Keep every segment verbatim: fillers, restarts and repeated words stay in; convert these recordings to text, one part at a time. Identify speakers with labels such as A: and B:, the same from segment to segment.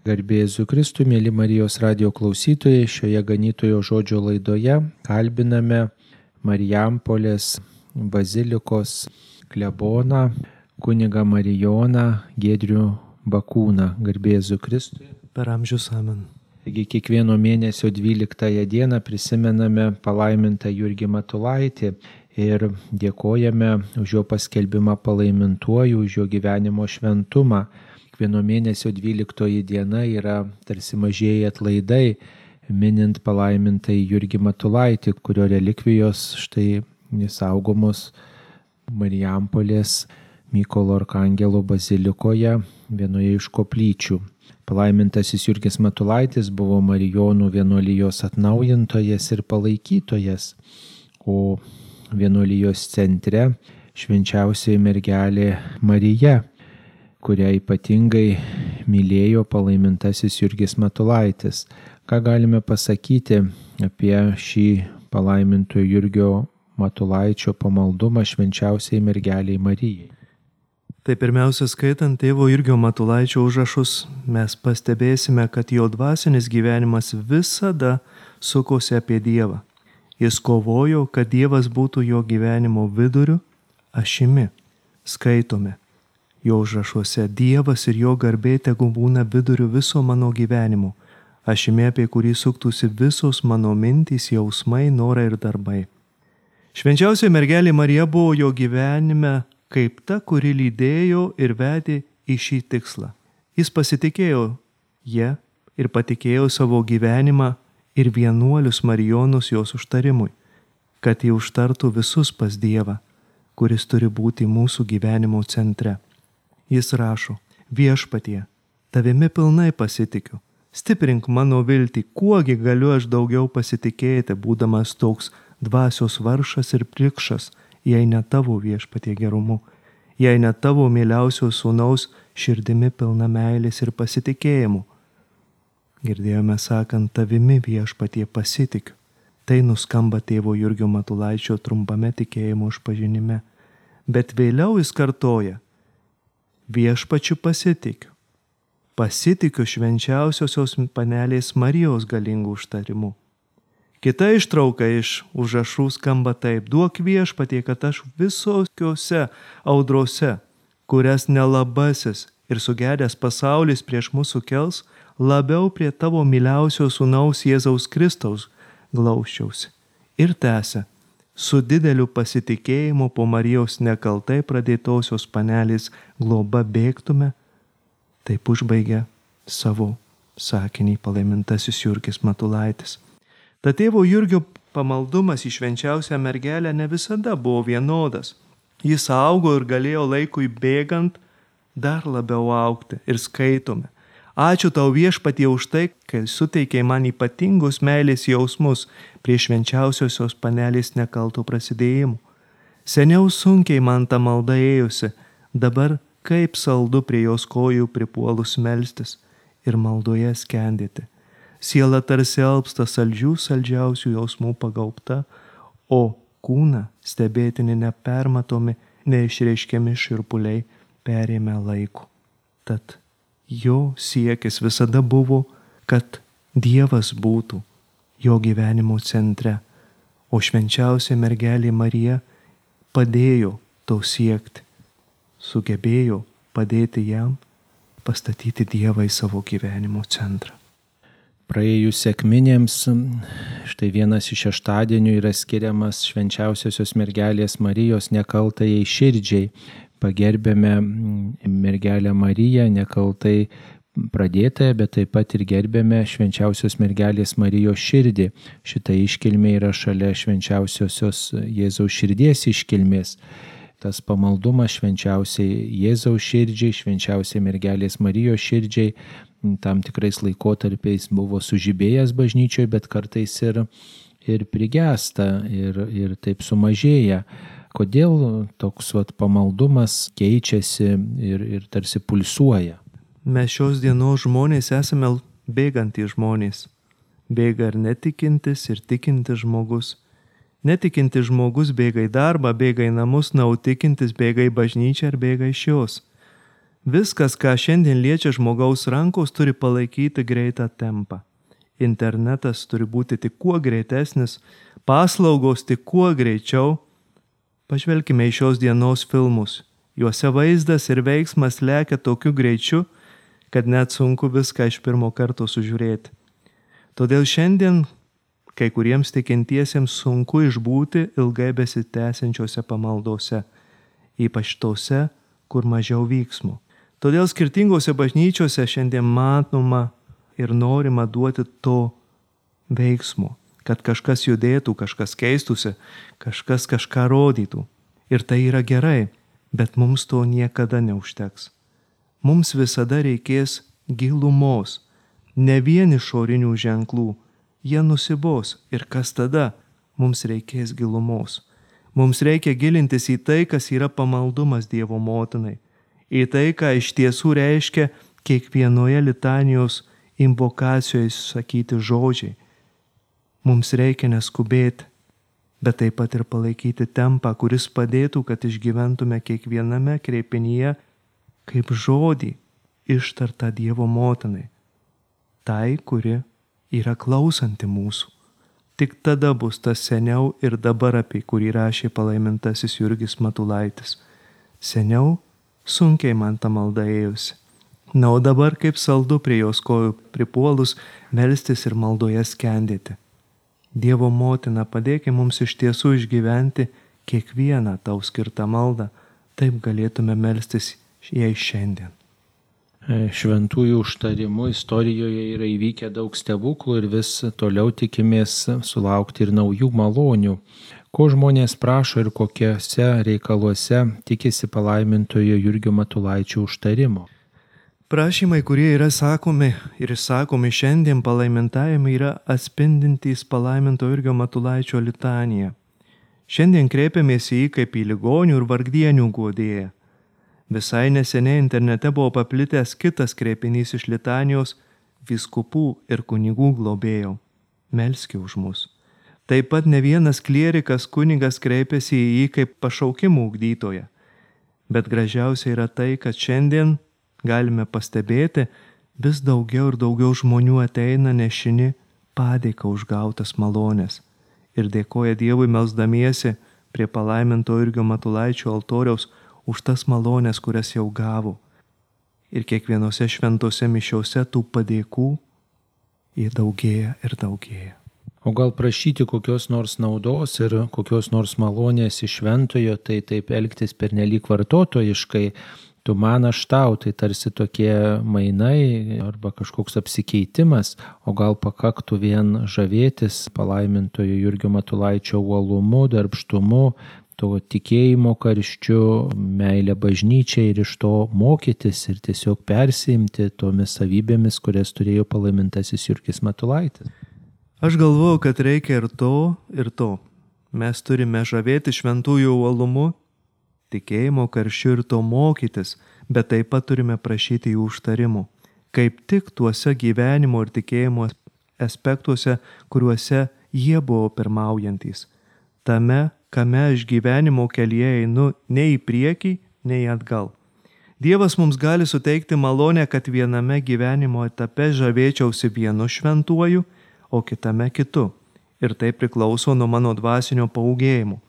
A: Garbė Jėzui Kristui, mėly Marijos radijo klausytojai, šioje ganytojo žodžio laidoje kalbiname Marijampolės bazilikos kleboną, kunigą Marijoną Giedrių Bakūną. Garbė Jėzui Kristui.
B: Per amžius amen.
A: Taigi kiekvieno mėnesio dvyliktąją dieną prisimename palaimintą Jurgį Matulaitį ir dėkojame už jo paskelbimą palaimintuoju, už jo gyvenimo šventumą. Kiekvieno mėnesio dvyliktoji diena yra tarsi mažieji atlaidai, minint palaimintąjį Jurgį Matulaitį, kurio relikvijos štai saugomos Marijampolės Mykolo Arkangelo bazilikoje vienoje iš koplyčių. Palaimintasis Jurgis Matulaitis buvo Marijonų vienuolijos atnaujintojas ir palaikytojas, o vienuolijos centre švenčiausioji mergelė Marija, kurią ypatingai mylėjo palaimintasis Jurgis Matulaitis. Ką galime pasakyti apie šį palaimintojo Jurgio Matulaičio pamaldumą švenčiausiai mergeliai Marijai?
B: Tai pirmiausia, skaitant tėvo Jurgio Matulaičio užrašus, mes pastebėsime, kad jo dvasinis gyvenimas visada sukosi apie Dievą. Jis kovojo, kad Dievas būtų jo gyvenimo viduriu, ašimi. Skaitome jo užrašuose: Dievas ir jo garbė tegu būna viduriu viso mano gyvenimo, ašimi, apie kurį suktųsi visos mano mintys, jausmai, norai ir darbai. Švenčiausioji mergelė Marija buvo jo gyvenime kaip ta, kuri lydėjo ir vedė į šį tikslą. Jis pasitikėjo ją ir patikėjo savo gyvenimą ir vienuolius Marijonus jos užtarimui, kad jie užtartų visus pas Dievą, kuris turi būti mūsų gyvenimo centre. Jis rašo: Viešpatie, tavimi pilnai pasitikiu, stiprink mano viltį, kuogi galiu aš daugiau pasitikėti, būdamas toks dvasios vargšas ir prikšas, jei ne tavo, Viešpatie, gerumu, jei ne tavo mieliausio sūnaus širdimi pilna meilės ir pasitikėjimu. Girdėjome sakant: tavimi, Viešpatie, pasitikiu. Tai nuskamba tėvo Jurgio Matulaičio trumpame tikėjimo išpažinime. Bet vėliau jis kartoja: Viešpačiu pasitikiu. Pasitikiu švenčiausiosios panelės Marijos galingų užtarimu. Kita ištrauka iš užrašų skamba taip: duok, Viešpatie, kad aš visokiose audrose, kurias nelabasis ir sugedęs pasaulis prieš mūsų kels, labiau prie tavo myliausio sūnaus Jėzaus Kristaus glausčiausi. Ir tęsia: su dideliu pasitikėjimu po Marijos nekaltai pradėtosios panelės globa bėgtume. Taip užbaigia savo sakinį palaimintasis Jurgis Matulaitis. Ta tėvo Jurgio pamaldumas į švenčiausią mergelę ne visada buvo vienodas. Jis augo ir galėjo laikui bėgant dar labiau augti. Ir skaitome: ačiū tau, Viešpatie, už tai, kai suteikei man ypatingus meilės jausmus prie švenčiausiosios panelės nekalto prasidėjimų. Seniau sunkiai man ta malda ėjusi, dabar kaip saldu prie jos kojų pripuolus melstis ir maldoje skendėti. Siela tarsi alpsta saldžių saldžiausių jausmų pagaubta, o kūną stebėtini nepermatomi, neišreiškiami šiurpuliai perėmė laiku. Tad jo siekis visada buvo, kad Dievas būtų jo gyvenimo centre, o švenčiausia mergelė Marija padėjo to siekti, sugebėjo padėti jam pastatyti Dievą į savo gyvenimo centrą.
A: Praėjus sekminėms, štai vienas iš šeštadienių yra skiriamas švenčiausiosios mergelės Marijos nekaltajai širdžiai. Pagerbėme mergelę Mariją nekaltai pradėtąją, bet taip pat ir gerbėme švenčiausios mergelės Marijos širdį. Šita iškilmė yra šalia švenčiausiosios Jėzaus širdies iškilmės. Tas pamaldumas švenčiausiai Jėzaus širdžiai, švenčiausiai mergelės Marijos širdžiai tam tikrais laikotarpiais buvo sužibėjęs bažnyčioje, bet kartais ir, ir prigesta ir, ir taip sumažėja. Kodėl toks vat, pamaldumas keičiasi ir, ir tarsi pulsuoja?
B: Mes šios dienos žmonės esame bėgantys žmonės. Bėga ir netikintis, ir tikintis žmogus. Netikintis žmogus bėga į darbą, bėga į namus, na, o tikintis bėga į bažnyčią ir bėga iš jos. Viskas, ką šiandien liečia žmogaus rankos, turi palaikyti greitą tempą. Internetas turi būti tik kuo greitesnis, paslaugos tik kuo greičiau. Pažvelkime į šios dienos filmus. Juose vaizdas ir veiksmas lekia tokiu greičiu, kad net sunku viską iš pirmo karto sužiūrėti. Todėl šiandien kai kuriems tikintiesiems sunku išbūti ilgai besitęsiančiose pamaldose, ypač tose, kur mažiau vyksmų. Todėl skirtingose bažnyčiose šiandien matoma ir norima duoti to veiksmo, kad kažkas judėtų, kažkas keistųsi, kažkas kažką rodytų. Ir tai yra gerai, bet mums to niekada neužteks. Mums visada reikės gilumos, ne vien išorinių ženklų. Jie nusibos ir kas tada? Mums reikės gilumos. Mums reikia gilintis į tai, kas yra pamaldumas Dievo motinai. Į tai, ką iš tiesų reiškia kiekvienoje litanijos invokacijoje sakyti žodžiai. Mums reikia neskubėti, bet taip pat ir palaikyti tempą, kuris padėtų, kad išgyventume kiekviename kreipinyje kaip žodį ištartą Dievo motinai. Tai, kuri yra klausanti mūsų. Tik tada bus tas seniau ir dabar, apie kurį rašė palaimintasis Jurgis Matulaitis. Seniau sunkiai man ta malda ėjusi. Na, o dabar kaip saldu prie jos kojų pripuolus melstis ir maldoje skendėti. Dievo motina, padėkime mums iš tiesų išgyventi kiekvieną tau skirtą maldą, taip galėtume melstis jai šiandien.
A: Šventųjų užtarimų istorijoje yra įvykę daug stebuklų ir vis toliau tikimės sulaukti ir naujų malonių. Ko žmonės prašo ir kokiuose reikaluose tikisi palaimintojo Jurgio Matulaičio užtarimo.
B: Prašymai, kurie yra sakomi ir sakomi šiandien palaimintajame, yra atspindintys palaimintojo Jurgio Matulaičio litaniją. Šiandien kreipiamės į jį kaip į ligonių ir vargdienių guodėją. Visai neseniai internete buvo paplitęs kitas kreipinys iš litanijos vyskupų ir kunigų globėjo. Melski už mus. Taip pat ne vienas klierikas kunigas kreipėsi į jį kaip pašaukimų ugdytoją. Bet gražiausia yra tai, kad šiandien galime pastebėti, vis daugiau ir daugiau žmonių ateina nešini padėką už gautas malonės ir dėkoja Dievui melsdamiesi prie palaiminto Jurgio Matulaičio altoriaus už tas malonės, kurias jau gavo. Ir kiekvienose šventose mišiose tų padėkų jie daugėja ir daugėja.
A: O gal prašyti kokios nors naudos ir kokios nors malonės iš šventojo, tai taip elgtis pernelyg vartotojiškai, tu man aš tau, tai tarsi tokie mainai arba kažkoks apsikeitimas, o gal pakaktų vien žavėtis palaimintojo Jurgio Matulaičio uolumu, darbštumu, to tikėjimo karščiu, meilę bažnyčiai ir iš to mokytis ir tiesiog persiimti tomis savybėmis, kurias turėjo palaimintasis Jurgis Matulaitis.
B: Aš galvoju, kad reikia ir to, ir to. Mes turime žavėti šventųjų uolumu, tikėjimo karščiu ir to mokytis, bet taip pat turime prašyti jų užtarimų. Kaip tik tuose gyvenimo ir tikėjimo aspektuose, kuriuose jie buvo pirmaujantys. Tame, kame aš gyvenimo kelyje einu nei į priekį, nei atgal. Dievas mums gali suteikti malonę, kad viename gyvenimo etape žavėčiausi vienu šventuoju, o kitame kitu. Ir tai priklauso nuo mano dvasinio paūgėjimo.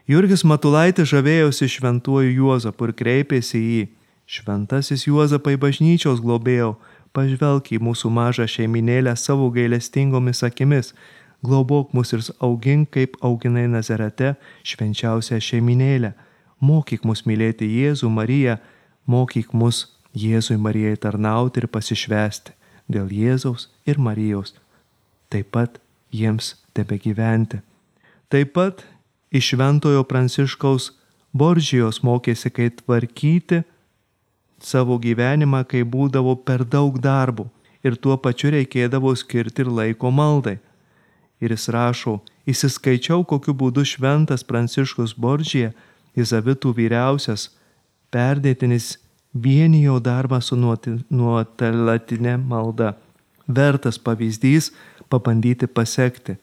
B: Jurgis Matulaitis žavėjosi šventuoju Juozapu ir kreipėsi į jį. Šventasis Juozapai bažnyčios globėjau, pažvelk į mūsų mažą šeiminėlę savo gailestingomis akimis. Globok mus ir augink, kaip auginai Nazarete švenčiausią šeiminėlę. Mokyk mus mylėti Jėzų, Mariją, mokyk mus Jėzui, Marijai tarnauti ir pasišvęsti dėl Jėzaus ir Marijos. Taip pat jiems tebegyventi. Taip pat iš šventojo Pranciškaus Boržijos mokėsi, kaip tvarkyti savo gyvenimą, kai būdavo per daug darbų ir tuo pačiu reikėdavo skirti ir laiko maldai. Ir jis rašo, įsiskaičiau, kokiu būdu šventas Pranciškus Boržija, Izavitų vyriausias, perdėtinis vienijo darbą su nuotolatinė malda. Vertas pavyzdys pabandyti pasekti,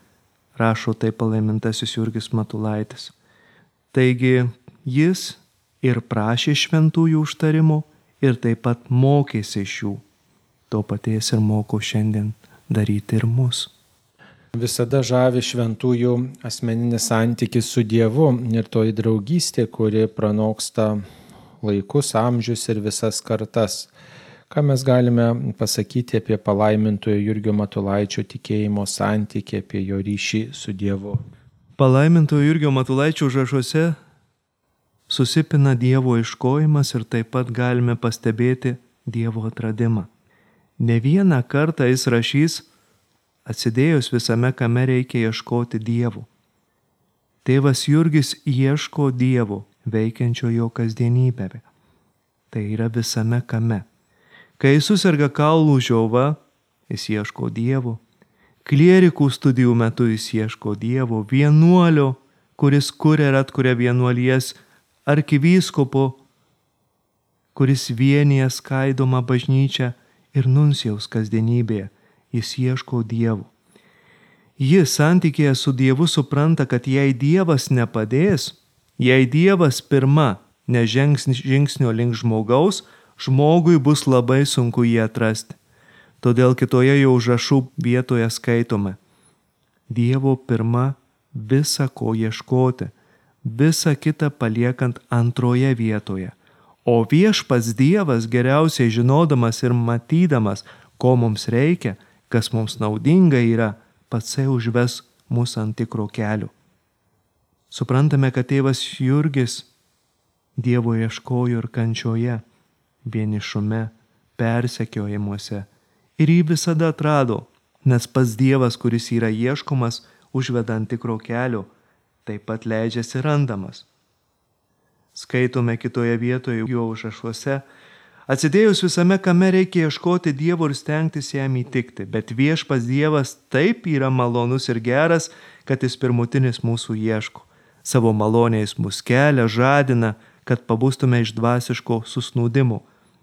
B: rašo taip palaimintasis Jurgis Matulaitis. Taigi jis ir prašė šventųjų užtarimo, ir taip pat mokėsi iš jų. To paties ir moko šiandien daryti ir mus.
A: Visada žavi šventųjų asmeninis santykis su Dievu ir toji draugystė, kuri pranoksta laikus, amžius ir visas kartas. Ką mes galime pasakyti apie palaimintojo Jurgio Matulaičio tikėjimo santykį, apie jo ryšį su Dievu?
B: Palaimintojo Jurgio Matulaičio užrašuose susipina Dievo ieškojimas ir taip pat galime pastebėti Dievo atradimą. Ne vieną kartą jis rašys, atsidėjus visame kame reikia ieškoti Dievo. Tėvas Jurgis ieško Dievo, veikiančio jo kasdienybėje. Tai yra visame kame. Kai susirga kaulų žiova, jis ieško Dievo. Klierikų studijų metu jis ieško Dievo. Vienuolio, kuris kuria ir atkuria vienuolijas, arkivyskupo, kuris vienyje skaidomą bažnyčią, ir nuncijaus kasdienybėje, jis ieško Dievo. Jis santykėje su Dievu supranta, kad jei Dievas nepadės, jei Dievas pirma nežengs žingsnio link žmogaus, žmogui bus labai sunku jį atrasti. Todėl kitoje jo užrašų vietoje skaitome: Dievo pirma visa ko ieškoti, visa kita paliekant antroje vietoje. O viešpats Dievas, geriausiai žinodamas ir matydamas, ko mums reikia, kas mums naudinga yra, patsai užves mus ant tikro kelio. Suprantame, kad tėvas Jurgis Dievo ieškojo ir kančioje, vienišume, persekiojimuose, ir jį visada atrado, nes pats Dievas, kuris yra ieškomas, užveda ant tikro kelio, taip pat leidžiasi randamas. Skaitome kitoje vietoje jo užrašuose: atsidėjus visame kame reikia ieškoti Dievo ir stengtis jam įtikti, bet viešpats Dievas taip yra malonus ir geras, kad jis pirmutinis mūsų ieško. Savo malonės mus kelia, žadina, kad pabustume iš dvasiško susnūdimo.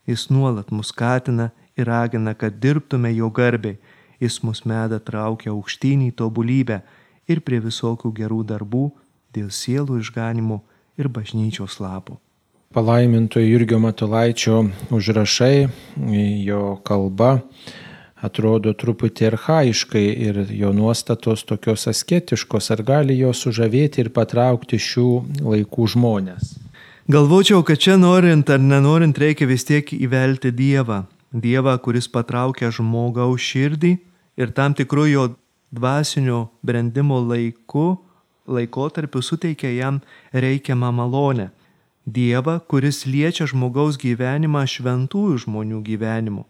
B: Jis nuolat mus skatina ir ragina, kad dirbtume jo garbei. Jis mus meda traukia aukštyn į tobulybę ir prie visokių gerų darbų dėl sielų išganimo ir bažnyčios labų.
A: Palaimintojo Jurgio Matulaičio užrašai, jo kalba atrodo truputį archaiškai ir jo nuostatos tokios asketiškos. Ar gali jos sužavėti ir patraukti šių laikų žmonės?
B: Galvočiau, kad čia norint ar nenorint reikia vis tiek įvelti Dievą. Dievą, kuris patraukia žmogaus širdį ir tam tikru jo dvasinio brendimo laiku, laikotarpiu suteikia jam reikiamą malonę. Dievą, kuris liečia žmogaus gyvenimą šventųjų žmonių gyvenimu.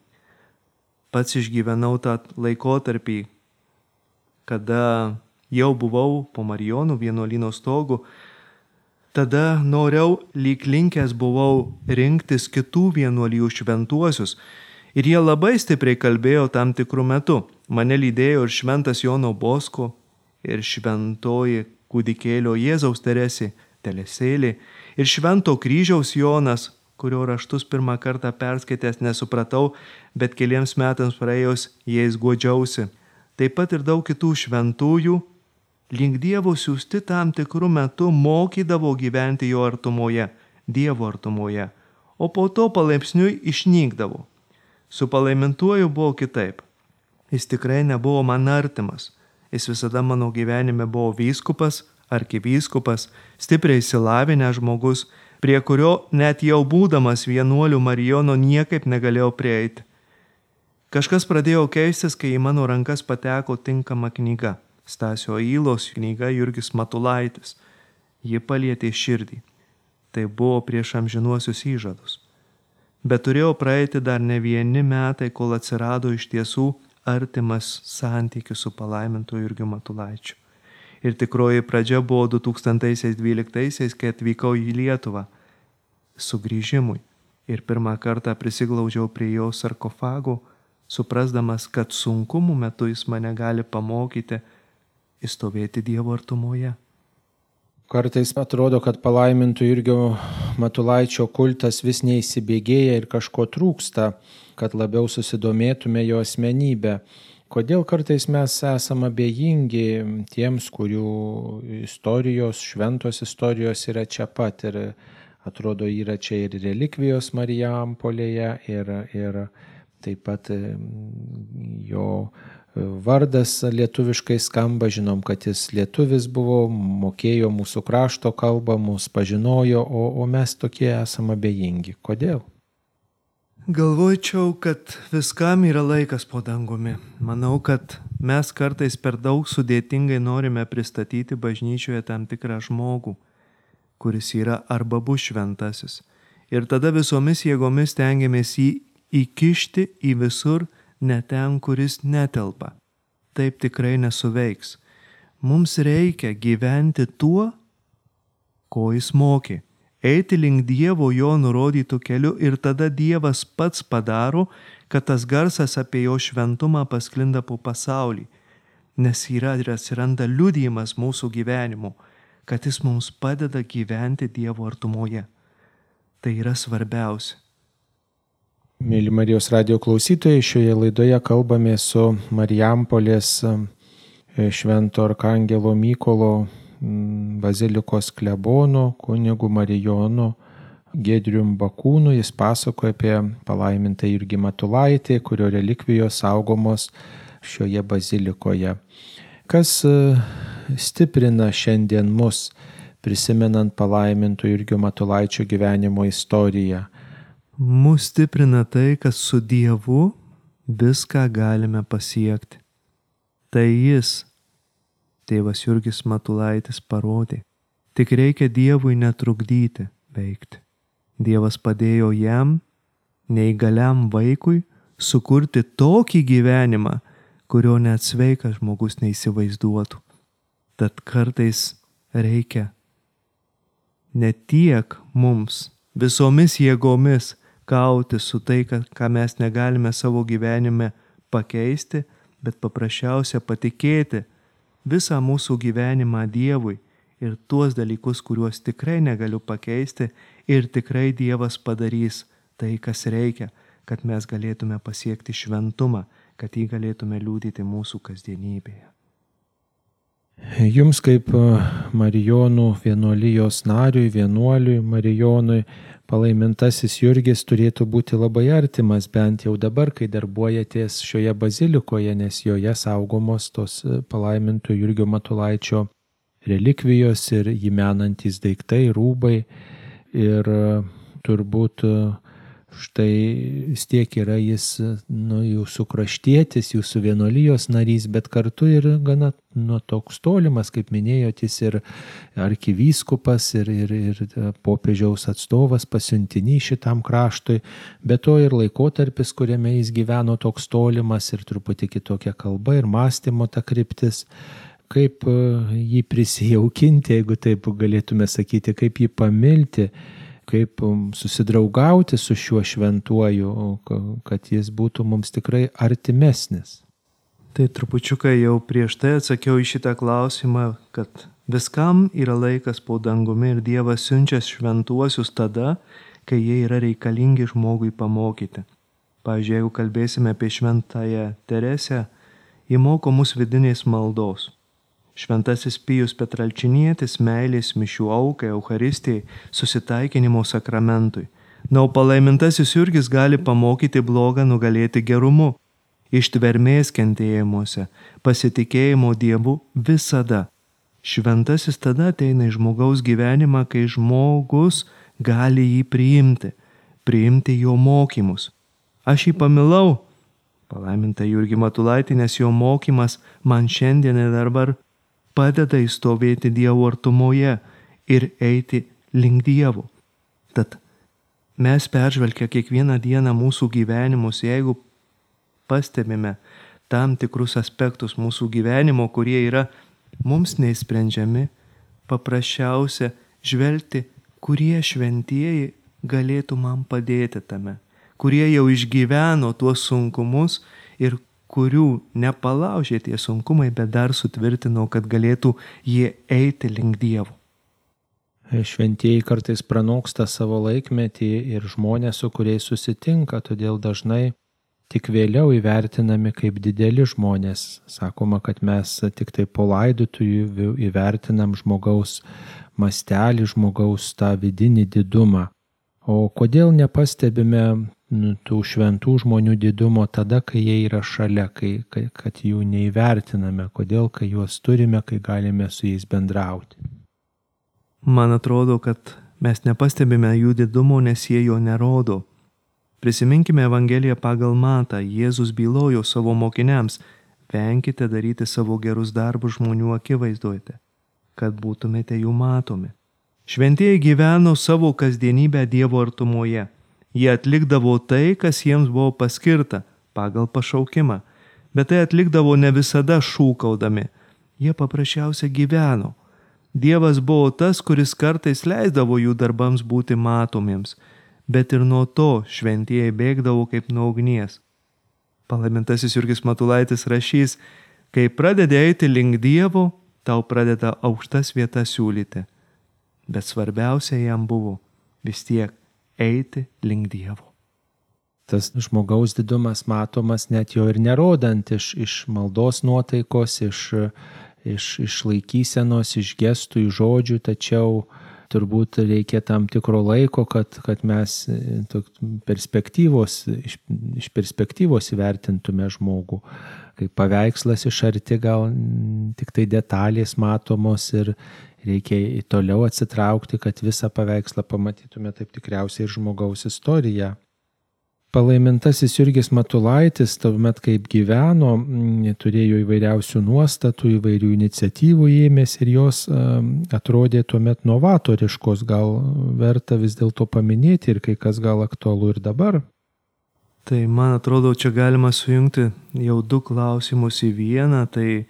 B: Pats išgyvenau tą laikotarpį, kada jau buvau po Marijonų vienuolyno stogu. Tada noriau lyg linkęs buvau rinktis kitų vienuolijų šventuosius ir jie labai stipriai kalbėjo tam tikrų metu. Mane lydėjo ir šventas Jono Bosko, ir šventoji kūdikėlio Jėzaus Teresė Teresėlė, ir švento kryžiaus Jonas, kurio raštus pirmą kartą perskaitęs nesupratau, bet keliems metams praėjus jais guodžiausi. Taip pat ir daug kitų šventųjų link Dievo siųsti tam tikrų metų mokydavo gyventi jo artumoje, Dievo artumoje, o po to palaipsniui išnykdavo. Su palaimintuoju buvo kitaip. Jis tikrai nebuvo man artimas. Jis visada mano gyvenime buvo vyskupas, arkivyskupas, stipriai išsilavinęs žmogus, prie kurio net jau būdamas vienuolių Marijono niekaip negalėjau prieiti. Kažkas pradėjo keistis, kai į mano rankas pateko tinkama knyga. Stasio Ylos knyga Jurgis Matulaitis. Ji palietė širdį. Tai buvo prieš amžinuosius įžadus. Bet turėjo praeiti dar ne vieni metai, kol atsirado iš tiesų artimas santykis su palaimintoju Jurgiu Matulaičiu. Ir tikroji pradžia buvo du tūkstančiai dvyliktaisiais, kai atvykau į Lietuvą sugrįžimui. Ir pirmą kartą prisiglaudžiau prie jo sarkofago, suprasdamas, kad sunkumų metu jis mane gali pamokyti įstovėti Dievo artumoje.
A: Kartais atrodo, kad palaimintojo Jurgio Matulaičio kultas vis neįsibėgėja ir kažko trūksta, kad labiau susidomėtume jo asmenybę. Kodėl kartais mes esame abejingi tiems, kurių istorijos, šventos istorijos yra čia pat, ir atrodo, yra čia ir relikvijos Marijampolėje, ir, ir taip pat jo vardas lietuviškai skamba, žinom, kad jis lietuvis buvo, mokėjo mūsų krašto kalbą, mus pažinojo, o, o mes tokie esame abejingi. Kodėl?
B: Galvočiau, kad viskam yra laikas po dangumi. Manau, kad mes kartais per daug sudėtingai norime pristatyti bažnyčioje tam tikrą žmogų, kuris yra arba bus šventasis. Ir tada visomis jėgomis stengiamės jį įkišti į visur, ne ten, kuris netelpa. Taip tikrai nesuveiks. Mums reikia gyventi tuo, ko jis mokė. Eiti link Dievo jo nurodytų keliu ir tada Dievas pats padaro, kad tas garsas apie jo šventumą pasklinda po pasaulį, nes yra ir atsiranda liudijimas mūsų gyvenimu, kad jis mums padeda gyventi Dievo artumoje. Tai yra svarbiausia.
A: Mėly Marijos radijo klausytojai, šioje laidoje kalbame su Marijampolės Švento Arkangelo Mykolo bazilikos klebonu, kunigu Marijonu Giedrium Bakūnu. Jis pasakoja apie palaimintą Jurgį Matulaitį, kurio relikvijos saugomos šioje bazilikoje. Kas stiprina šiandien mus, prisimenant palaiminto Jurgio Matulaičio gyvenimo istoriją?
B: Mus stiprina tai, kad su Dievu viską galime pasiekti. Tai jis, tėvas Jurgis Matulaitis, parodė. Tik reikia Dievui netrukdyti veikti. Dievas padėjo jam, neįgaliam vaikui, sukurti tokį gyvenimą, kurio net sveikas žmogus neįsivaizduotų. Tad kartais reikia ne tiek mums visomis jėgomis kauti su tai, ką mes negalime savo gyvenime pakeisti, bet paprasčiausia patikėti visą mūsų gyvenimą Dievui ir tuos dalykus, kuriuos tikrai negaliu pakeisti, ir tikrai Dievas padarys tai, kas reikia, kad mes galėtume pasiekti šventumą, kad jį galėtume liudyti mūsų kasdienybėje.
A: Jums kaip Marijonų vienuolijos nariui, vienuoliui Marijonui, palaimintasis Jurgis turėtų būti labai artimas, bent jau dabar, kai darbuojatės šioje bazilikoje, nes joje saugomos tos palaiminto Jurgio Matulaičio relikvijos ir jį menantys daiktai, rūbai. Ir turbūt štai vis tiek yra jis, nu, jūsų kraštietis, jūsų vienuolijos narys, bet kartu ir gana nu, toks tolimas, kaip minėjot, jis ir arkivyskupas, ir, ir, ir popiežiaus atstovas, pasiuntinys šitam kraštui, bet to ir laikotarpis, kuriame jis gyveno, toks tolimas ir truputį kitokia kalba ir mąstymo ta kryptis. Kaip jį prisijaukinti, jeigu taip galėtume sakyti, kaip jį pamilti, kaip susidraugauti su šiuo šventuoju, kad jis būtų mums tikrai artimesnis.
B: Tai trupučiuką jau prieš tai atsakiau į šitą klausimą, kad viskam yra laikas po dangumi ir Dievas siunčia šventuosius tada, kai jie yra reikalingi žmogui pamokyti. Pavyzdžiui, jeigu kalbėsime apie šventąją Teresę, ji moko mus vidinės maldos. Šventasis Pijus Petralčinietis meilės mišių aukai, Eucharistijai, susitaikinimo sakramentui. Na, o palaimintasis Jurgis gali pamokyti blogą nugalėti gerumu, ištvermės kentėjimuose, pasitikėjimo Dievu visada. Šventasis tada ateina į žmogaus gyvenimą, kai žmogus gali jį priimti, priimti jo mokymus. Aš jį pamilau, palaimintą Jurgį Matulaitį, nes jo mokymas man šiandien ir dabar padeda įstovėti Dievo artumoje ir eiti link Dievo. Tad mes peržvelgę kiekvieną dieną mūsų gyvenimus, jeigu pastebime tam tikrus aspektus mūsų gyvenimo, kurie yra mums neįsprendžiami, paprasčiausia žvelgti, kurie šventieji galėtų man padėti tame, kurie jau išgyveno tuos sunkumus ir kurių nepalaužė tie sunkumai, bet dar sutvirtino, kad galėtų jie eiti link Dievo.
A: Šventieji kartais pranoksta savo laikmetį ir žmonės, su kuriais susitinka, todėl dažnai tik vėliau įvertinami kaip dideli žmonės. Sakoma, kad mes tik tai po laidotuvių įvertinam žmogaus mastelį, žmogaus tą vidinį didumą. O kodėl nepastebime nu, tų šventų žmonių didumo tada, kai jie yra šalia, kai, kai, kad jų neįvertiname, kodėl, kai juos turime, kai galime su jais bendrauti?
B: Man atrodo, kad mes nepastebime jų didumo, nes jie jo nerodo. Prisiminkime Evangeliją pagal Matą. Jėzus bylojo savo mokiniams: venkite daryti savo gerus darbus žmonių akivaizdoje, kad būtumėte jų matomi. Šventieji gyveno savo kasdienybę Dievo artumoje. Jie atlikdavo tai, kas jiems buvo paskirta pagal pašaukimą, bet tai atlikdavo ne visada šūkaudami. Jie paprasčiausiai gyveno. Dievas buvo tas, kuris kartais leisdavo jų darbams būti matomiems, bet ir nuo to šventieji bėgdavo kaip nuo ugnies. Palaimintasis Jurgis Matulaitis rašys: kai pradedi eiti link Dievo, tau pradeda aukštas vietas siūlyti. Bet svarbiausia jam buvo vis tiek eiti link Dievo.
A: Tas žmogaus didumas matomas net jo ir nerodant iš, iš maldos nuotaikos, iš, iš, iš laikysenos, iš gestų, iš žodžių, tačiau turbūt reikia tam tikro laiko, kad, kad mes perspektyvos, iš, iš perspektyvos įvertintume žmogų. Kaip paveikslas iš arti gal tik tai detalės matomos ir reikia toliau atsitraukti, kad visą paveikslą pamatytume, taip tikriausiai ir žmogaus istoriją. Palaimintasis Jurgis Matulaitis, tuomet kaip gyveno, turėjo įvairiausių nuostatų, įvairių iniciatyvų ėmėsi ir jos atrodė tuomet novatoriškos, gal verta vis dėlto paminėti ir kai kas gal aktualu ir dabar.
B: Tai man atrodo, čia galima sujungti jau du klausimus į vieną, tai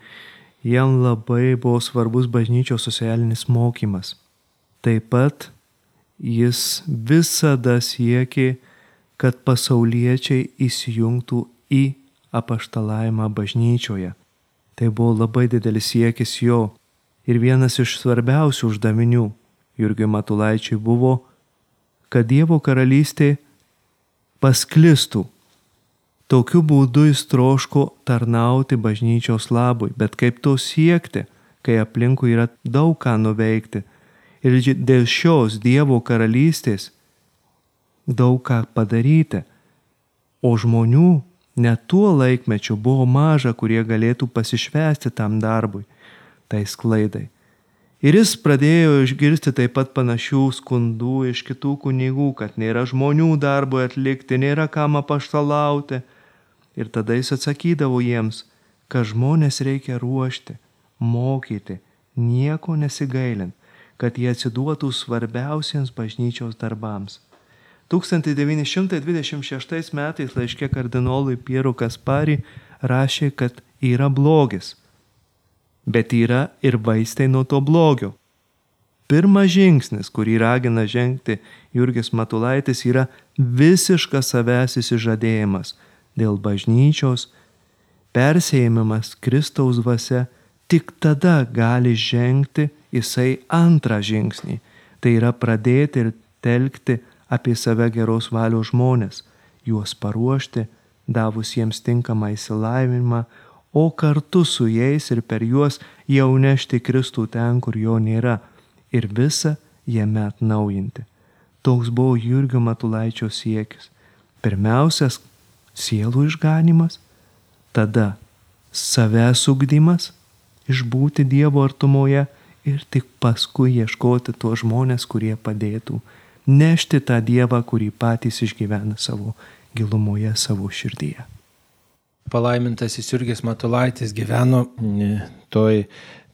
B: jam labai buvo svarbus bažnyčios socialinis mokymas. Taip pat jis visada siekė, kad pasauliečiai įsijungtų į apaštalavimą bažnyčioje. Tai buvo labai didelis siekis jo. Ir vienas iš svarbiausių uždavinių Jurgiui Matulaičiui buvo, kad Dievo karalystė pasklistų. Tokiu būdu jis troško tarnauti bažnyčios labui, bet kaip to siekti, kai aplinkui yra daug ką nuveikti. Ir dėl šios Dievo karalystės daug ką padaryti, o žmonių net tuo laikmečiu buvo maža, kurie galėtų pasišvęsti tam darbui, tai sklaidai. Ir jis pradėjo išgirsti taip pat panašių skundų iš kitų kunigų, kad nėra žmonių darbui atlikti, nėra kam apaštalauti. Ir tada jis atsakydavo jiems, kad žmonės reikia ruošti, mokyti, nieko nesigailint, kad jie atsiduotų svarbiausiems bažnyčios darbams. tūkstantis devyni šimtai dvidešimt šeštais metais laiške kardinolui Pieru Kaspari rašė, kad yra blogis, bet yra ir vaistai nuo to blogio. Pirmas žingsnis, kurį ragina žengti Jurgis Matulaitis, yra visiškas savęs įsižadėjimas dėl bažnyčios, persėjimas Kristaus dvasia. Tik tada gali žengti jisai antrą žingsnį. Tai yra pradėti ir telkti apie save geros valios žmonės, juos paruošti, davus jiems tinkamą išsilavinimą, o kartu su jais ir per juos jau nešti Kristų ten, kur jo nėra, ir visą jame atnaujinti. Toks buvo Jurgio Matulaičio siekis. Pirmiausias sielų išganimas, tada savęs ugdymas, išbūti Dievo artumoje ir tik paskui ieškoti tuos žmonės, kurie padėtų nešti tą Dievą, kurį patys išgyvena savo gilumoje, savo širdyje.
A: Palaimintasis Jurgis Matulaitis gyveno toj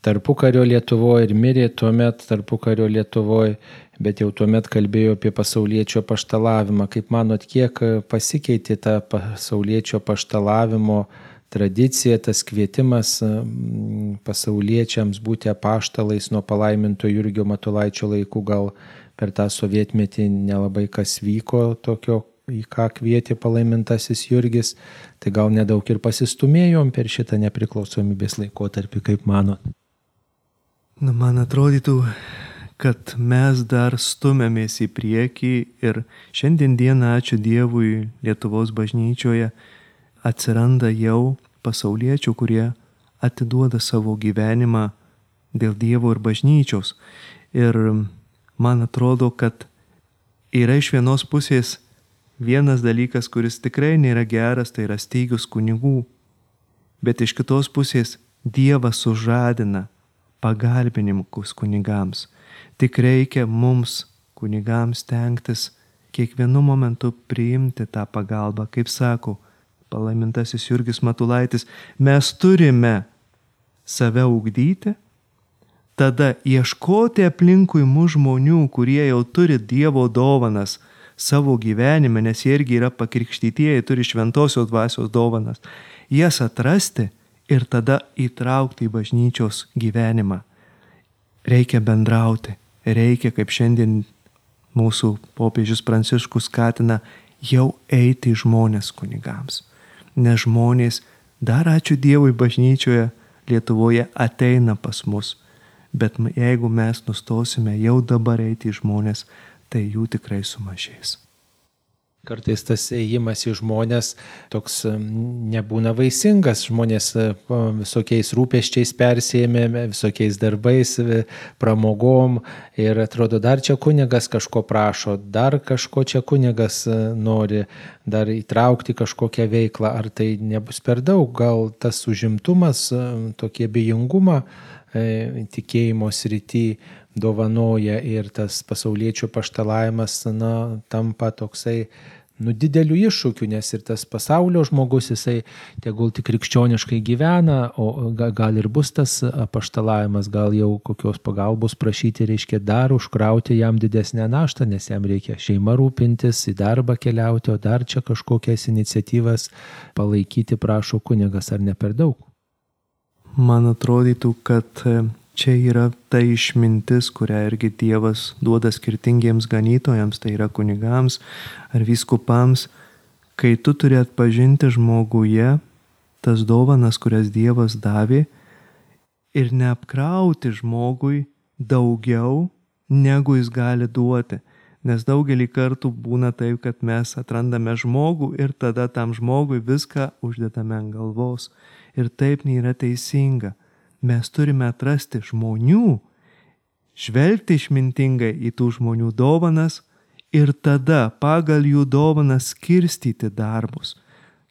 A: tarpukario Lietuvoje ir mirė tuomet tarpukario Lietuvoje, bet jau tuomet kalbėjo apie pasauliečio apaštalavimą. Kaip manot, kiek pasikeitė ta pasauliečio apaštalavimo tradicija, tas kvietimas pasauliečiams būti apaštalais nuo palaiminto Jurgio Matulaičio laikų? Gal per tą sovietmetį nelabai kas vyko tokio, į ką kvietė palaimintasis Jurgis, tai gal nedaug ir pasistumėjom per šitą nepriklausomybės laikotarpį, kaip manot?
B: Na, man atrodytų, kad mes dar stumėmės į priekį ir šiandien dieną, ačiū Dievui, Lietuvos bažnyčioje atsiranda jau pasauliečių, kurie atiduoda savo gyvenimą dėl Dievo ir bažnyčios. Ir man atrodo, kad yra iš vienos pusės vienas dalykas, kuris tikrai nėra geras, tai yra stygius kunigų. Bet iš kitos pusės Dievas sužadina pagalbininkus kunigams. Tik reikia mums, kunigams, stengtis kiekvienu momentu priimti tą pagalbą. Kaip sako palaimintasis Jurgis Matulaitis, mes turime save ugdyti, tada ieškoti aplinkui mūsų žmonių, kurie jau turi Dievo dovanas savo gyvenime, nes jie irgi yra pakrikštytieji, turi šventosios dvasios dovanas, jas atrasti ir tada įtraukti į bažnyčios gyvenimą. Reikia bendrauti, reikia, kaip šiandien mūsų popiežius Pranciškus skatina, jau eiti į žmonės kunigams. Nes žmonės, dar ačiū Dievui, bažnyčioje Lietuvoje ateina pas mus. Bet jeigu mes nustosime jau dabar eiti į žmonės, tai jų tikrai sumažės.
A: Kartais tas ėjimas į žmonės toks nebūna vaisingas, žmonės visokiais rūpesčiais persėmė, visokiais darbais, pramogom ir atrodo, dar čia kunigas kažko prašo, dar kažko čia kunigas nori, dar įtraukti kažkokią veiklą, ar tai nebus per daug, gal tas užimtumas, tokie abejingumą tikėjimo srity dovanoja ir tas pasauliečių paštalavimas, na, tampa toksai, nu, dideliu iššūkiu, nes ir tas pasaulio žmogus, jisai tegul tik krikščioniškai gyvena, o gal ir bus tas paštalavimas, gal jau kokios pagalbos prašyti, reiškia dar užkrauti jam didesnę naštą, nes jam reikia šeima rūpintis, į darbą keliauti, o dar čia kažkokias iniciatyvas palaikyti prašo kunigas, ar ne per daug?
B: Man atrodytų, kad čia yra ta išmintis, kurią irgi Dievas duoda skirtingiems ganytojams, tai yra kunigams ar vyskupams, kai tu turi atpažinti žmoguje tas dovanas, kurias Dievas davė ir neapkrauti žmogui daugiau, negu jis gali duoti. Nes daugelį kartų būna taip, kad mes atrandame žmogų ir tada tam žmogui viską uždedame ant galvos. Ir taip nėra teisinga. Mes turime atrasti žmonių, žvelgti išmintingai į tų žmonių dovanas ir tada pagal jų dovanas skirstyti darbus.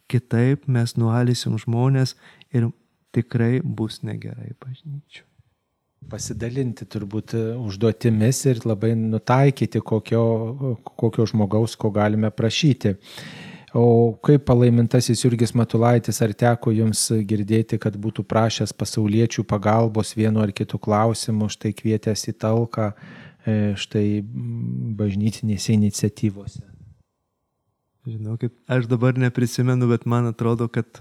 B: Kitaip mes nualysim žmonės ir tikrai bus negerai bažnyčiai.
A: Pasidalinti turbūt užduotimis ir labai nutaikyti kokio, kokio žmogaus, ko galime prašyti. O kaip palaimintasis Jurgis Matulaitis, ar teko jums girdėti, kad būtų prašęs pasauliečių pagalbos vienu ar kitu klausimu, štai kvietęs į talką, štai bažnytinėse iniciatyvose?
B: Žinokit, aš dabar neprisimenu, bet man atrodo, kad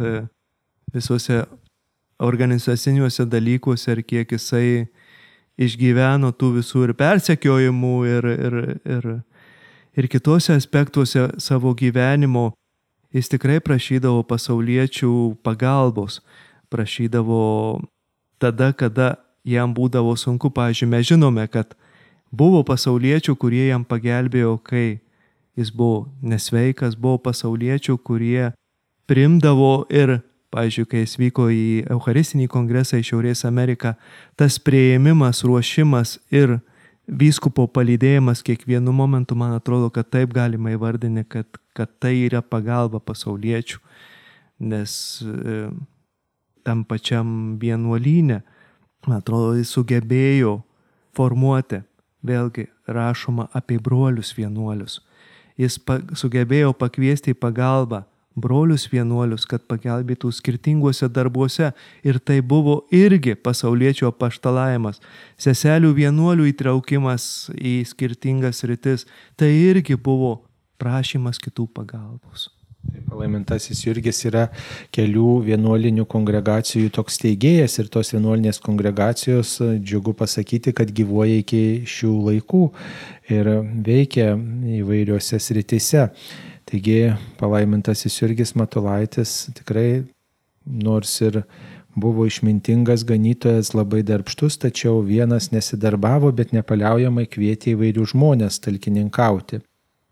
B: visuose organizaciniuose dalykuose ir kiek jisai išgyveno tų visų ir persekiojimų ir, ir, ir, ir kitose aspektuose savo gyvenimo, jis tikrai prašydavo pasauliečių pagalbos, prašydavo tada, kada jam būdavo sunku. Pavyzdžiui, mes žinome, kad buvo pasauliečių, kurie jam pagelbėjo, kai jis buvo nesveikas, buvo pasauliečių, kurie priimdavo ir, pavyzdžiui, kai jis vyko į Eucharistinį kongresą į Šiaurės Ameriką, tas priėmimas, ruošimas ir vyskupo palydėjimas kiekvienu momentu, man atrodo, kad taip galima įvardinti, kad, kad tai yra pagalba pasauliečių, nes e, tam pačiam vienuolyne, man atrodo, jis sugebėjo formuoti, vėlgi rašoma apie brolius vienuolius. Jis pa, sugebėjo pakviesti į pagalbą brolius vienuolius, kad pagelbėtų skirtinguose darbuose. Ir tai buvo irgi pasauliečio apaštalavimas. Seselių vienuolių įtraukimas į skirtingas rytis. Tai irgi buvo prašymas kitų pagalbos.
A: Palaimintasis Jurgis yra kelių vienuolinių kongregacijų toks steigėjas ir tos vienuolinės kongregacijos, džiugu pasakyti, kad gyvuoja iki šių laikų ir veikia įvairiose srityse. Taigi palaimintasis Jurgis Matulaitis tikrai, nors ir buvo išmintingas ganytojas, labai darbštus, tačiau vienas nesidarbavo, bet nepaliaujamai kvietė įvairių žmonės talkininkauti.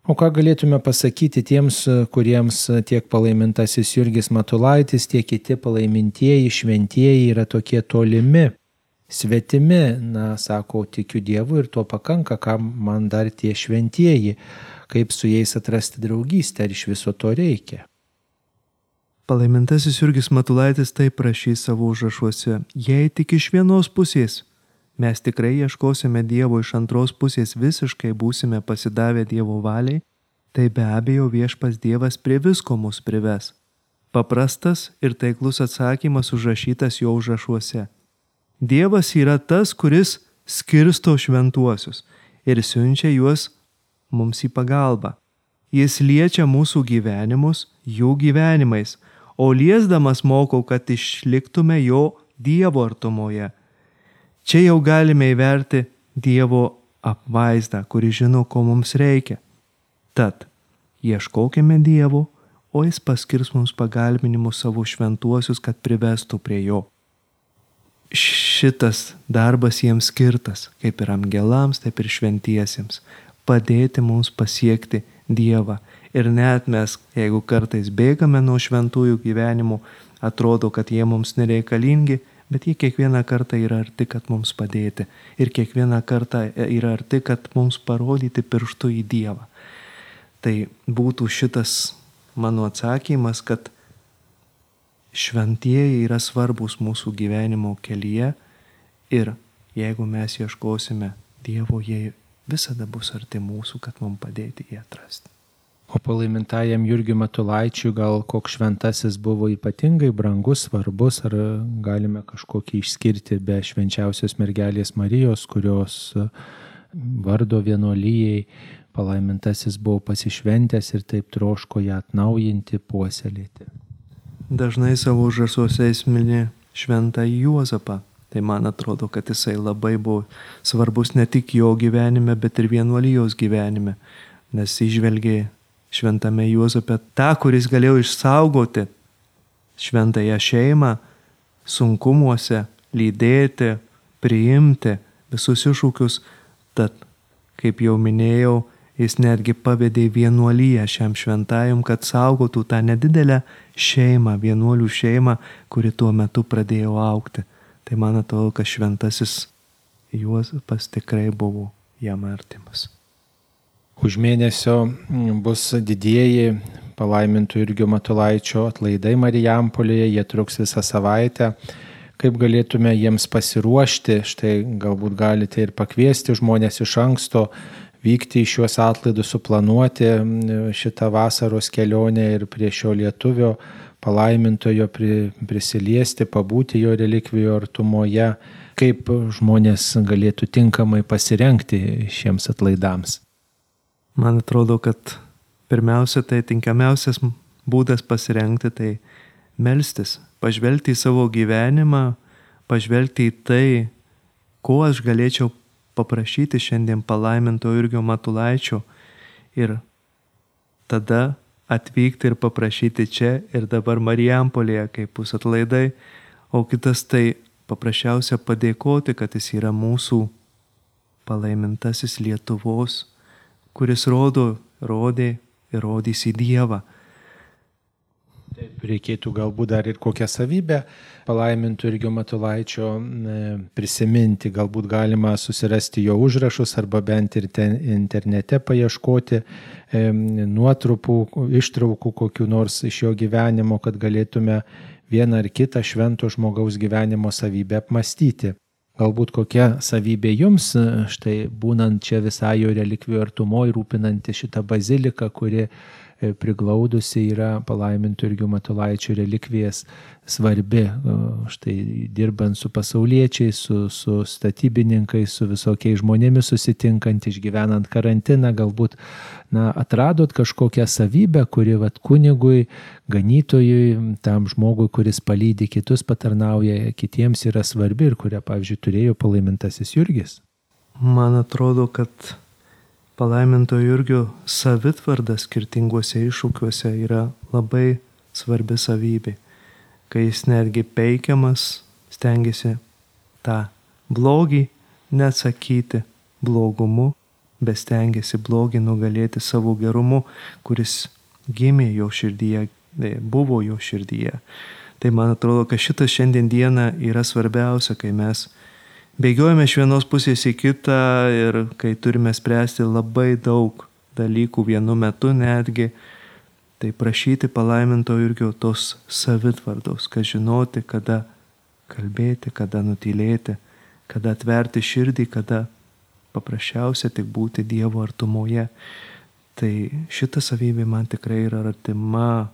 A: O ką galėtume pasakyti tiems, kuriems tiek palaimintasis Jurgis Matulaitis, tiek kiti palaimintieji, šventieji yra tokie tolimi, svetimi, na, sako, tikiu Dievu ir to pakanka, kam man dar tie šventieji, kaip su jais atrasti draugystę, ar iš viso to reikia.
B: Palaimintasis Jurgis Matulaitis taip rašys savo užrašuose: jei tik iš vienos pusės mes tikrai ieškosime Dievo, iš antros pusės visiškai būsime pasidavę Dievo valiai, tai be abejo viešpas Dievas prie visko mus prives. Paprastas ir taiklus atsakymas užrašytas jo užrašuose. Dievas yra tas, kuris skirsto šventuosius ir siunčia juos mums į pagalbą. Jis liečia mūsų gyvenimus jų gyvenimais, o liesdamas mokau, kad išliktume jo Dievo artumoje. Čia jau galime įverti Dievo apvaizdą, kuri žino, ko mums reikia. Tad ieškokime Dievo, o jis paskirs mums pagalbinimus savo šventuosius, kad privestų prie jo. Šitas darbas jiems skirtas, kaip ir angelams, taip ir šventiesiems, padėti mums pasiekti Dievą. Ir net mes, jeigu kartais bėgame nuo šventųjų gyvenimų, atrodo, kad jie mums nereikalingi, bet jie kiekvieną kartą yra arti, kad mums padėti. Ir kiekvieną kartą yra arti, kad mums parodyti pirštu į Dievą. Tai būtų šitas mano atsakymas, kad šventieji yra svarbus mūsų gyvenimo kelyje ir jeigu mes ieškosime Dievo, jie visada bus arti mūsų, kad mums padėti jį atrasti.
A: O palaimintajam Jurgiui Matulaičiui gal koks šventasis buvo ypatingai brangus, svarbus, ar galime kažkokį išskirti be švenčiausios mergelės Marijos, kurios vardo vienuolijai palaimintasis buvo pasišventęs ir taip troško ją atnaujinti, puoselėti.
B: Dažnai savo užrašuose jis mini šventą Juozapą. Tai man atrodo, kad jisai labai buvo svarbus ne tik jo gyvenime, bet ir vienuolijos gyvenime, nes įžvelgė šventame Juozape tą, kuris galėjo išsaugoti šventąją šeimą sunkumuose, lydėti, priimti visus iššūkius. Tad, kaip jau minėjau, jis netgi pavedė vienuoliją šiam šventajam, kad saugotų tą nedidelę šeimą, vienuolių šeimą, kuri tuo metu pradėjo augti. Tai man atrodo, kad šventasis Juozapas tikrai buvo jam artimas.
A: Už mėnesio bus didieji palaimintų Jurgio Matulaičio atlaidai Marijampolėje, jie truks visą savaitę. Kaip galėtume jiems pasiruošti, štai galbūt galite ir pakviesti žmonės iš anksto, vykti į šiuos atlaidus, suplanuoti šitą vasaros kelionę ir prie šio lietuvio palaimintojo prisiliesti, pabūti jo relikvijų artumoje, kaip žmonės galėtų tinkamai pasirengti šiems atlaidams.
B: Man atrodo, kad pirmiausia, tai tinkamiausias būdas pasirengti, tai melstis, pažvelgti į savo gyvenimą, pažvelgti į tai, ko aš galėčiau paprašyti šiandien palaiminto Jurgio Matulaičio ir tada atvykti ir paprašyti čia ir dabar Marijampolėje, kaip bus atlaidai, o kitas tai paprasčiausia padėkoti, kad jis yra mūsų palaimintasis Lietuvos, kuris rodo, rodė ir rodys į Dievą.
A: Taip, reikėtų galbūt dar ir kokią savybę palaimintų Jurgio Matulaičio prisiminti. Galbūt galima susirasti jo užrašus arba bent ir ten internete paieškoti nuotrupų, ištraukų kokių nors iš jo gyvenimo, kad galėtume vieną ar kitą švento žmogaus gyvenimo savybę apmastyti. Galbūt kokia savybė jums, štai būnant čia visai jo relikvijų artumoj, rūpinanti šitą baziliką, kuri priglaudusi yra palaimintų Jurgio Matulaičio relikvijas, svarbi, štai dirbant su pasauliečiais, su, su statybininkais, su visokiais žmonėmis susitinkant, išgyvenant karantiną, galbūt na, atradot kažkokią savybę, kuri vat, kunigui, ganytojui, tam žmogui, kuris palydi kitus, patarnauja kitiems, yra svarbi ir kurią, pavyzdžiui, turėjo palaimintasis Jurgis.
B: Man atrodo, kad palaiminto Jurgio savitvarda skirtinguose iššūkiuose yra labai svarbi savybė, kai jis netgi peikiamas stengiasi tą blogį neatsakyti blogumu, bestengėsi blogį nugalėti savo gerumu, kuris gimė jo širdyje, buvo jo širdyje. Tai man atrodo, kad šitas šiandien dieną yra svarbiausia, kai mes bėgiojame iš vienos pusės į kitą ir kai turime spręsti labai daug dalykų vienu metu netgi, tai prašyti palaiminto Jurgio tos savitvardos, kad žinoti, kada kalbėti, kada nutylėti, kada atverti širdį, kada paprasčiausia tik būti Dievo artumoje. Tai šita savybė man tikrai yra artima,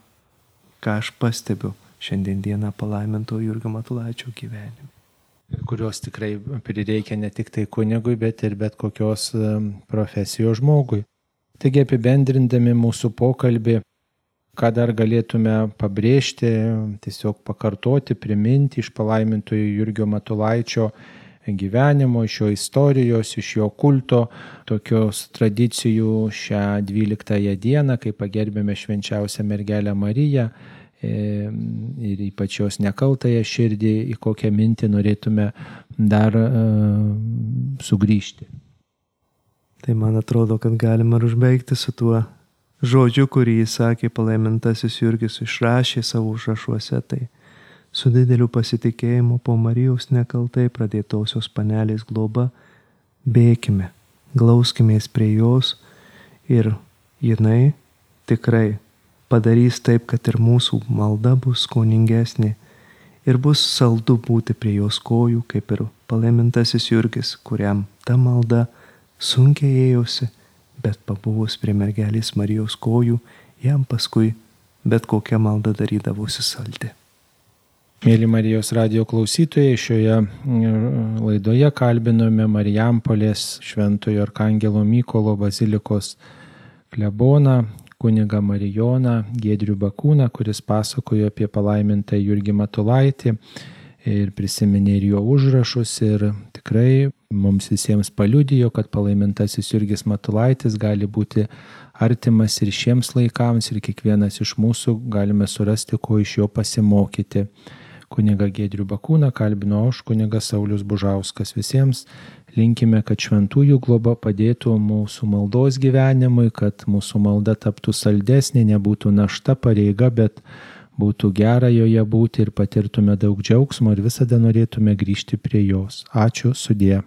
B: ką aš pastebiu šiandien dieną palaiminto Jurgio Matulaičio gyvenime.
A: Kurios tikrai prireikia ne tik tai kunigui, bet ir bet kokios profesijos žmogui. Taigi apibendrindami mūsų pokalbį, ką dar galėtume pabrėžti, tiesiog pakartoti, priminti iš palaimintojo Jurgio Matulaičio gyvenimo, iš jo istorijos, iš jo kulto, tokios tradicijų šią dvyliktąją dieną, kai pagerbėme švenčiausią mergelę Mariją ir ypač jos nekaltąją širdį, į kokią mintį norėtume dar uh, sugrįžti.
B: Tai man atrodo, kad galima užbaigti su tuo žodžiu, kurį jis sakė palaimintasis Jurgis, išrašė savo užrašuose, tai su dideliu pasitikėjimu po Marijos nekaltai pradėtosios panelės globa bėkime, glauskimės prie jos ir jinai tikrai padarys taip, kad ir mūsų malda bus skoningesnė ir bus saldu būti prie jos kojų, kaip ir palaimintasis Jurgis, kuriam ta malda sunkiai ėjosi, bet pabuvus prie mergelės Marijos kojų, jam paskui bet kokia malda darydavosi saldi.
A: Mėly Marijos radijo klausytojai, šioje laidoje kalbinome Marijampolės Šventojo Arkangelo Mykolo bazilikos kleboną, kunigą Marijoną Giedrių Bakūną, kuris pasakojo apie palaimintą Jurgį Matulaitį ir prisiminė ir jo užrašus ir tikrai mums visiems paliudijo, kad palaimintasis Jurgis Matulaitis gali būti artimas ir šiems laikams ir kiekvienas iš mūsų galime surasti, ko iš jo pasimokyti. Kunigą Giedrių Bakūną kalbino aš, kunigas Saulius Bužauskas. Visiems linkime, kad šventųjų globa padėtų mūsų maldos gyvenimui, kad mūsų malda taptų saldesnė, nebūtų našta, pareiga, bet būtų gera joje būti ir patirtume daug džiaugsmo ir visada norėtume grįžti prie jos. Ačiū, sudie.